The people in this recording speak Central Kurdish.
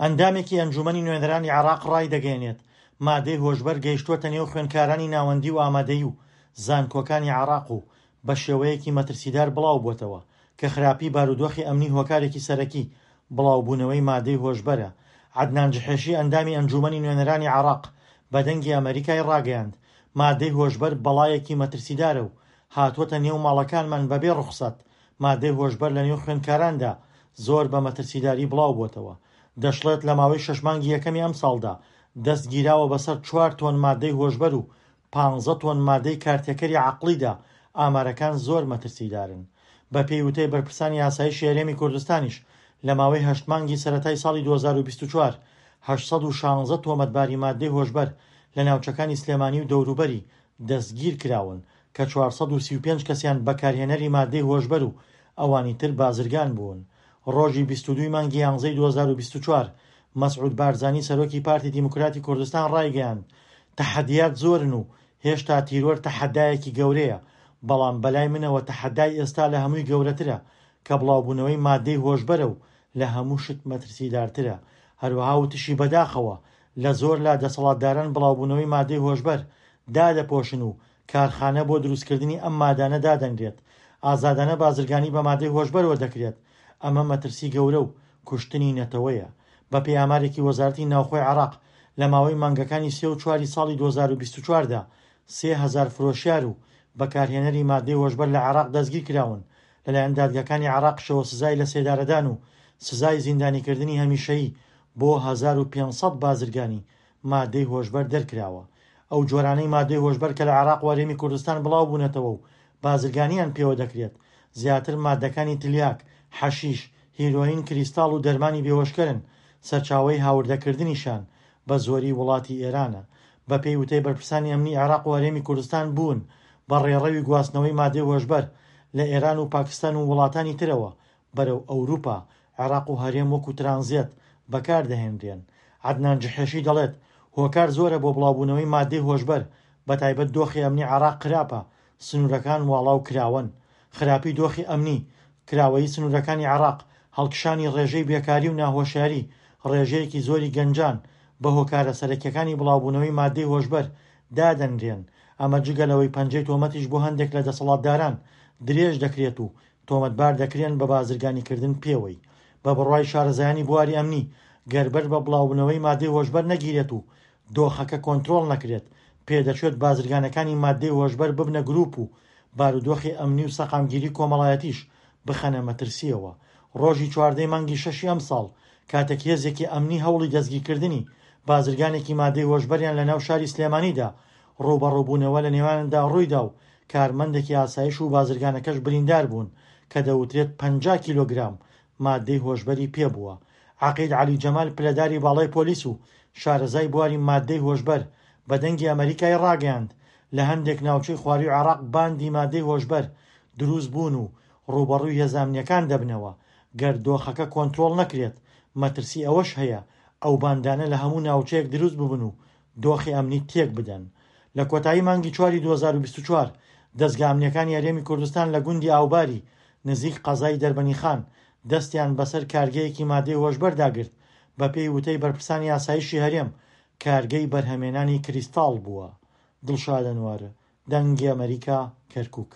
ئەندامێکی ئەنجوومەنی نوێنەرانی عێراق ڕایدەگەیەنێت، مادەی هۆشبەر گەیشتووەتە نێو خوێندکارانی ناوەندی و ئامادەیی و زانکۆکانی عێراق و بەشێوەیەکی مەترسیدار بڵاوبووەتەوە، کە خراپی بارودۆخی ئەمنی هۆکارێکی سەرەکی بڵاوبوونەوەی مادەی هۆشبەرە. عەدنان جحێشی ئەندامی ئەنجوومەنی نوێنەرانی عێراق بە دەنگی ئەمەریکای ڕاگەیاند، مادەی هۆشبەر بەڵایەکی مەترسیدارە و هاتووەتە نێو ماڵەکانمان بەبێ ڕوخسەت، مادەی هۆشبەر لەنێو خوێندکاراندا زۆر بە مەترسیداری بڵاوبووەتەوە. دەشڵێت لە ماوەی شەش مانگی یەکەمی ئەمساڵدا دەست گیراوە بەسەر چوار تۆن مادەی هۆشبەر و پانزە تۆن مادەی کارتێکەری عەقڵیدا، ئامارەکان زۆر مەترسیدارن. بەپێی وتەی بەرپرسانی ئاسایشی هەرێمی کوردستانیش لە ماوەی هەشت مانگی سەرەتای ساڵی 2024 816 تۆمەتباری مادەی هۆشبەر لە ناوچەکانی سلێمانی و دەوروبەری دەستگیرکراون کە 435 کەسیان بەکارهێنەری مادەی هۆشبەر و ئەوانی تر بازرگان بوون. ڕۆژی 22 ی مانگی یانزەی 2024 مەسعود بارزانی سەرۆکی پارتی دیموکراتی کوردستان ڕایگەیاند، تەحەدیات زۆرن و هێشتا تیرۆر تەحەدایەکی گەورەیە، بەڵام بەلای منەوە تەحەدای ئێستا لە هەمووی گەورەترە کە بڵاوبوونەوەی مادەی هۆشبەرە و لە هەموو شت مەترسیدارترە. هەروەها وتشی بەداخەوە لە زۆر لا دەسەڵاتداران بڵاوبوونەوەی مادەی هۆشبەر دادەپۆشن و کارخانە بۆ دروستکردنی ئەم مادانە دادەنرێت، ئازادانە بازرگانی بە مادەی هۆشبەرەوە دەکرێت، ئەمە مەترسی گەورە و کوشتنی نەتەوەیە. بەپێی ئامارێکی وەزارەتی ناوخۆی عێراق، لە ماوەی مانگەکانی سێ و چواری ساڵی 2024 دا 3000 فرۆشیار و بەکارهێنەری مادەی هۆشبەر لە عێراق دەستگیرکراون، لەلایەن دادگاکانی عێراقیشەوە سزای لەسێدارەدان و سزای زیندانیکردنی هەمیشەیی بۆ 1500 بازرگانی مادەی هۆشبەر دەرکراوە. ئەو جۆرانەی مادەی هۆشبەر کە لە عێراق و هەرێمی کوردستان بڵاوبوونەتەوە و بازرگانیان پێوە دەکرێت، زیاتر مادەکانی تلیاک، حەشیش، هیرۆین، کریستاڵ و دەرمانی بێهۆشکەرن، سەرچاوەی هاوردەکردنیشیان بە زۆری وڵاتی ئێرانە. بەپێی وتەی بەرپرسانی ئەمنی عێراق و هەرێمی کوردستان بوون بە ڕێڕەوی گواستنەوەی مادەی هۆشبەر لە ئێران و پاکستان و وڵاتانی ترەوە بەرەو ئەوروپا، عێراق و هەرێم وەکو ترانزێت بەکاردەهێنرێن. عەدنان جحێشی دەڵێت، هۆکار زۆرە بۆ بڵاوبوونەوەی مادەی هۆشبەر، بەتایبەت دۆخی ئەمنی عێراق خراپە، سنوورەکان واڵا و کراوەن. خراپی دۆخی ئەمنی، کراوەیی سنوورەکانی عێراق، هەڵکشانی ڕێژەی بێکاری و ناهۆشیاری ڕێژەیەکی زۆری گەنجان، بە هۆکارە سەرەکییەکانی بڵاوبوونەوەی مادەی هۆشبەر دادەنرێن. ئەمە جگە لەوەی پەنجەی تۆمەتیش بۆ هەندێک لە دەسەڵاتداران درێژ دەکرێت و تۆمەتبار دەکرێن بە بازرگانیکردن پێوەی. بە بڕوای شارەزایانی بواری ئەمنی، گەر بەر بە بڵاوبوونەوەی مادەی هۆشبەر نەگیرێت و دۆخەکە کۆنترۆڵ نەکرێت، پێدەچێت بازرگانەکانی ماددەی هۆشبەر ببنە گروپ و بارودۆخی ئەمنی و سەقامگیری کۆمەڵایەتیش بخەنە مەترسییەوە. ڕۆژی چواردەی مانگی شەشی ئەمساڵ، کاتێک هێزێکی ئەمنی هەوڵی دەستگیرکردنی بازرگانێکی ماددەی هۆشبەریان لەناو شاری سلێمانی دا، ڕووبەڕووبوونەوە لە نێواندا ڕوویدا و کارمەندێکی ئاسایش و بازرگانەکەش بریندار بوون کە دەوترێت 50 کیلۆگرام ماددەی هۆشبەری پێبووە. عەقید عەلی جەمال پلەداری باڵای پۆلیس و شارەزای بواری ماددەی هۆشبەر بە دەنگی ئەمەریکای ڕاگەیاند، لە هەندێک ناوچەی خوارووی عێراق باندی ماددەی هۆشبەر دروست بوون و ڕووبەڕووی هێزە ئەمنییەکان دەبنەوە، گەر دۆخەکە کۆنترۆڵ نەکرێت مەترسی ئەوەش هەیە ئەو باندانە لە هەموو ناوچەیەک دروست ببن و دۆخی ئەمنی تێک بدەن. لە کۆتایی مانگی چواری 2024 دەزگا ئەمنییەکانی هەرێمی کوردستان لە گوندی ئاوباری نزیک قەزای دەربەنیخان دەستیان بەسەر کارگەیەکی مادەی هۆشبەردا گرت، بەپێی وتەی بەرپرسانی ئاسایشی هەرێم، کارگەی بەرهەمێنانی کریستاڵ بووە. دڵشاد ئەنوەر، دەنگی ئەمەریکا، کەرکوک.